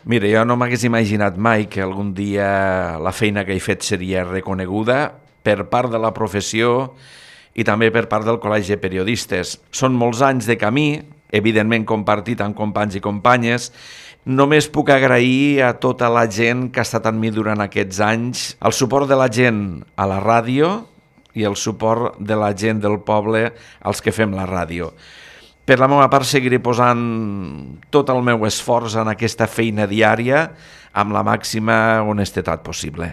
Mira, jo no m'hagués imaginat mai que algun dia la feina que he fet seria reconeguda per part de la professió i també per part del Col·legi de Periodistes. Són molts anys de camí, evidentment compartit amb companys i companyes. Només puc agrair a tota la gent que ha estat amb mi durant aquests anys, el suport de la gent a la ràdio i el suport de la gent del poble als que fem la ràdio. Per la meva part seguiré posant tot el meu esforç en aquesta feina diària amb la màxima honestedat possible.